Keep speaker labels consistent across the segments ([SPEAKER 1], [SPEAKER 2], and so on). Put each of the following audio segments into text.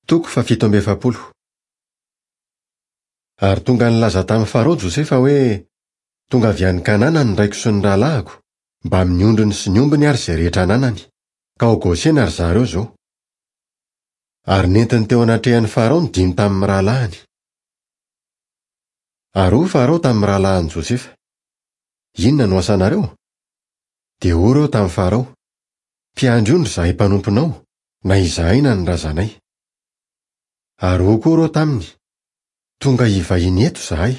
[SPEAKER 1] Toko faha-47. Ary tonga nilaza tamin'i Farao Josefa hoe, Tonga avy any Kanana ny raiko sy ny rahalahiko, mbamin'ny ondriny sy ny ombiny ary izay rehetra ananany, ka ao Gosena ry zareo izao. Ary nentiny teo anatrehan'i Farao ny dimy tamin'ny rahalahiny. Ary hoy Farao tamin'ny rahalahin'i Josefa, Inona no asanareo? Dia hoy ireo tamin'i Farao, Mpiandry ondry izahay mpanomponao, na izahay na ny razanay. Ary hoy koa ireo taminy, Tonga hivahiny eto izahay.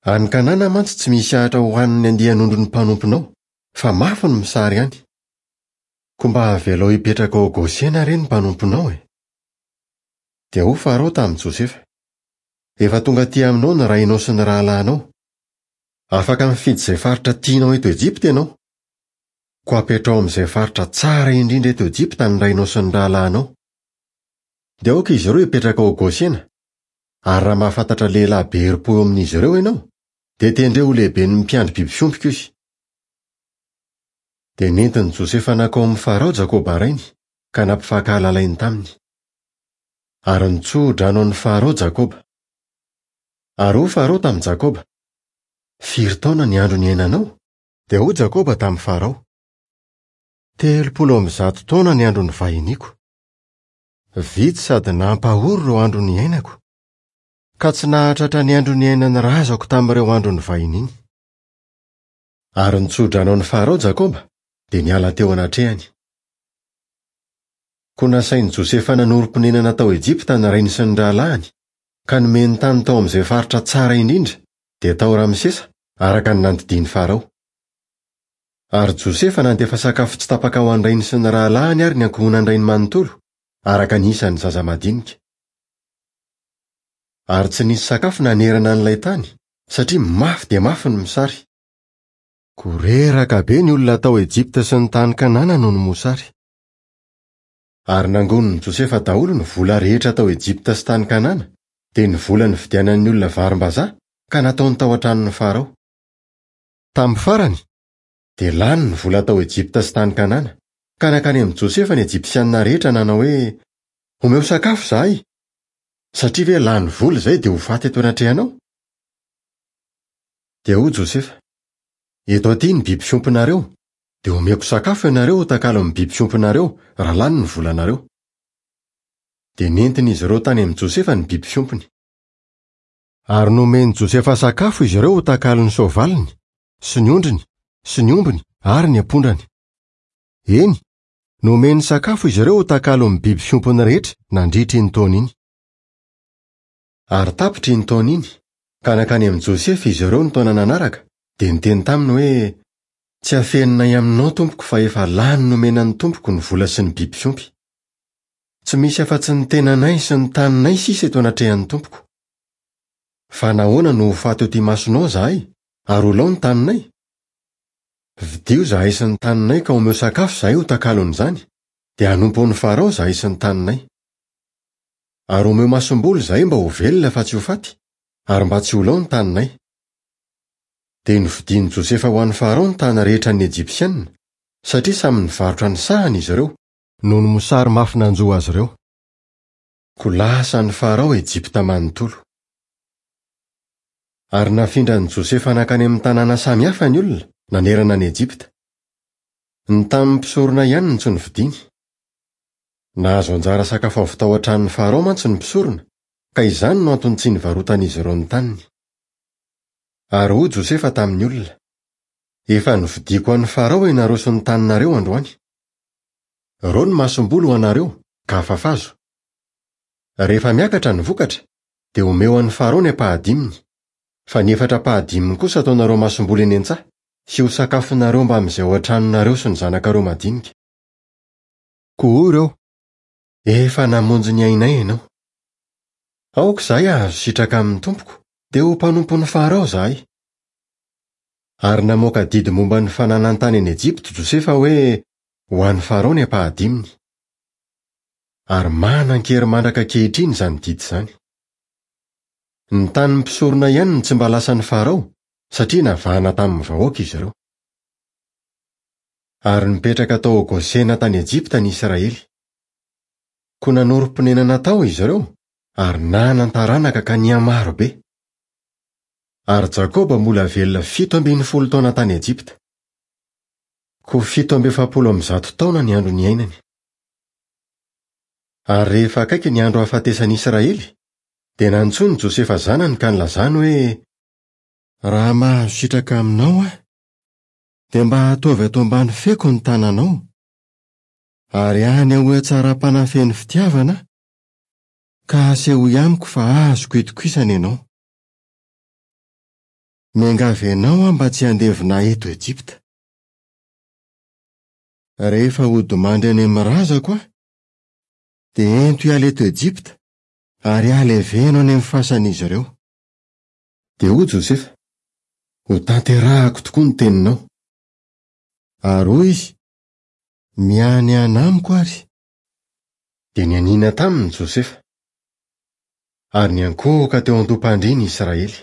[SPEAKER 1] Any Kanana mantsy tsy misy ahitra hohanin'ny andian'ondrin'ny mpanomponao, fa mafy ny misary any. Koa mba avelao hipetraka ao Gosena re ny mpanomponao e! Dia hoy Farao tamin'i Josefa, Efa tonga aty aminao ny rainao sy ny rahalahinao. Afaka mifidy izay faritra tianao eto Ejipta ianao. Koa apetraho amin'izay faritra tsara indrindra eto Ejipta ny rainao sy ny rahalahinao. Dia aoka izy ireo hipetraka ao Gosena, ary raha mahafantatra lehilahy be herim-po eo amin'izy ireo ianao, dia tendreo ho lehiben'ny mpiandry biby fiompiko izy. Dia nentin'i Josefa nankao amin'i Farao Jakoba rainy, ka nampifankahalalainy taminy. Ary nitsodrano an'i Farao Jakoba. Ary hoy Farao tamin'i Jakoba, Firy taona ny andro niainanao? Dia hoy Jakoba tamin'i Farao, 130 taona ny andro nivahiniako. Vitsy sady nampahory ireo andro niainako, ka tsy nahatratra ny andro niainan'ny razako tamin'ireo andro nivahiniany. Ary nitsodrano an'i Farao Jakoba, dia niala teo anatrehany. Koa nasain'i Josefa nanorim-ponenana tao Ejipta ny rainy sy ny rahalahiny, ka nomeny tany tao amin'izay faritra tsara indrindra, dia tao Ramsesa, araka ny nandidian'i Farao. Ary Josefa nandefa sakafo tsy tapaka ho an-drainy sy ny rahalahiny ary ny ankohonan-drainy manontolo, araka ny isan'ny zaza madinika. Ary tsy nisy sakafo nanerana an'ilay tany, satria mafy dia mafy ny mosary. Koa reraka be ny olona tao Ejipta sy ny tany Kanana noho ny mosary. Ary nangonin'i Josefa daholo ny vola rehetra tao Ejipta sy tany Kanana, dia ny vola nividianan'ny olona varimbazaha, ka nataony tao an-tranon'i Farao. Tamin'ny farany, dia lany ny vola tao Ejipta sy tany Kanana, ka nankany amin'i Josefa ny Ejipsianina rehetra nanao hoe, Omeo sakafo izahay! Satria ve lany vola izay dia ho faty eto anatrehanao? Dia hoy Josefa, Eto aty ny biby fiompinareo, dia omeko sakafo ianareo ho takalon'ny biby fiompinareo raha lany ny volanareo. Dia nentin'izy ireo tany amin'i Josefa ny biby fiompiny. Ary nomen'i Josefa sakafo izy ireo ho takalon'ny soavaliny, sy ny ondriny, sy ny ombiny ary ny ampondrany. Eny, nomeny sakafo izy ireo ho takalon'ny biby fiompiny rehetra nandritra iny taona iny. Ary tapitra iny taona iny, ka nankany amin'i Josefa izy ireo ny taona nanaraka, dia niteny taminy hoe, Tsy afeninay aminao, tompoko, fa efa lany nomena ny tompoko ny vola sy ny biby fiompy. Tsy misy afa-tsy ny tenanay sy ny taninay sisa eto anatrehan'ny tompoko. Fa nahoana no ho faty eo imasonao izahay, ary ho lao ny taninay? Vidio izahay sy ny taninay ka omeo sakafo izahay ho takalon'izany, dia hanompo an'i Farao izahay sy ny taninay. Ary omeo masomboly izahay mba ho velona fa tsy ho faty, ary mba tsy ho lao ny taninay. Dia novidian'i Josefa ho an'i Farao ny tany rehetra an'ny Ejipsiana, satria samy nivarotra ny sahany izy ireo, noho ny mosary mafy nanjo azy ireo. Koa lasa an'i Farao Ejipta manontolo. Ary nafindran'i Josefa nankany amin'ny tanàna samy hafa ny olona, nanerana an'i Ejipta. Ny tanin'ny mpisorona ihany no tsy novidiny. Nahazo anjara sakafo avy tao an-tranon'i Farao mantsy ny mpisorona, ka izany no antony tsy nivarotan'izy ireo ny taniny. Ary hoy Josefa tamin'ny olona, Efa novidiako an'i Farao ianareo sy ny taninareo androany. Ireo ny masomboly ho anareo, ka afafazo. Rehefa miakatra ny vokatra, dia omeo an'i Farao ny ampahadiminy, fa ny efatra ampahadiminy kosa ataonareo masomboly eny an-tsaha, sy ho sakafonareo mbamin'izay ao an-tranonareo sy ny zanakareo madinika. Koa hoy ireo, Efa namonjy ny ainay ianao. Aoka izahay hahazo sitraka amin'ny tompoko, dia ho mpanompon'i Farao izahay. Ary namoaka didy momba ny fananan-tany any Ejipta Josefa hoe, Ho an'i Farao ny ampahadiminy. Ary manan-kery mandraka ankehitriny izany didy izany. Ny tanin'ny mpisorona ihany no tsy mba lasan'i Farao, satria navahana tamin'ny vahoaka izy ireo. Ary nipetraka tao Gosena tany Ejipta ny Israely. Koa nanorim-ponenana tao izy ireo ary nanan-taranaka ka nihamaro be. Ary Jakoba mbola velona 17 taona tany Ejipta. Koa 147 taona ny andro niainany. Ary rehefa akaiky ny andro hahafatesan'i Israely, dia nantsoiny Josefa zanany ka nilazany hoe, Raha mahazo sitraka aminao aho, dia mba ataovy ato ambany feko ny tananao, ary anehoy hatsaram-panahy feno fitiavana aho, ka asehoy amiko fa azoko itokisana ianao. Miangavy anao aho mba tsy handevina ahy eto Ejipta. Rehefa hodimandry any amin'ny razako aho, dia ento hiala eto Ejipta ary aleveno any amin'ny fasan'izy ireo. Dia hoy Josefa, Hotanterahako tokoa ny teninao. Ary hoy izy, Mianiàna amiko àry. Dia nianiana taminy Josefa. Ary niankohoka teo an-doham-pandriany Israely.